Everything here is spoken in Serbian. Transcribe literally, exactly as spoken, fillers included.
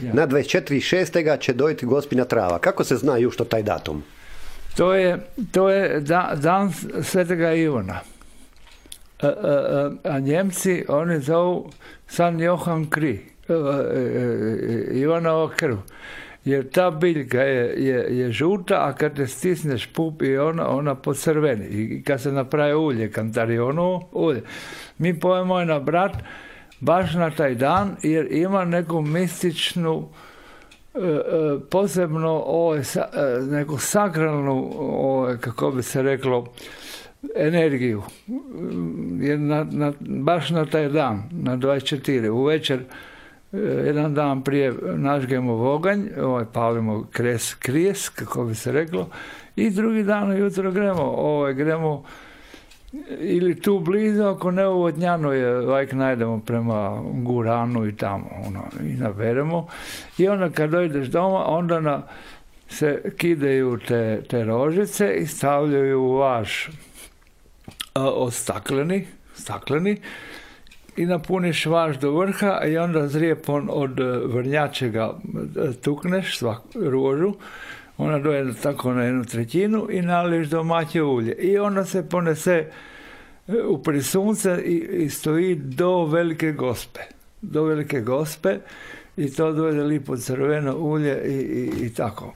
Ja. Na dvadeset četiri šestog će dojiti Gospina trava. Kako se zna jušto taj datum? To je, to je da, dan Svetega Ivana. A, a, a Njemci, oni zovu San Johan Kri, Ivanova krv. Jer ta biljka je, je, je žuta, a kad te stisneš pup i ona, ona pocrveni. I kad se napravi ulje, kantarionovo ulje. Mi pojemo je na brat baš na taj dan, jer ima neku mističnu, posebno ovo, neku sakralnu, ovo, kako bi se reklo, energiju. Jer na, na, baš na taj dan, na dvadeset četiri, u večer, jedan dan prije nažgemo voganj, ovaj, palimo kres, krijes, kako bi se reklo, i drugi dan ujutro gremo, ovaj, gremo ili tu blizu, ako ne u Vodnjanu je, lajk najdemo prema Guranu i tamo, ono, i naberemo. I onda kad dojdeš doma, onda na, se kidaju te, te rožice i stavljaju u vaš a, od stakleni, stakleni, i napuniš vaš do vrha i onda zrijepom od vrnjačega tukneš svak rožu, ona doje tako na jednu trećinu i naliješ domaće ulje. I onda se ponese u prisunce i, i stoji do Velike Gospe. Do Velike Gospe i to dojde lipo crveno ulje i, i, i tako.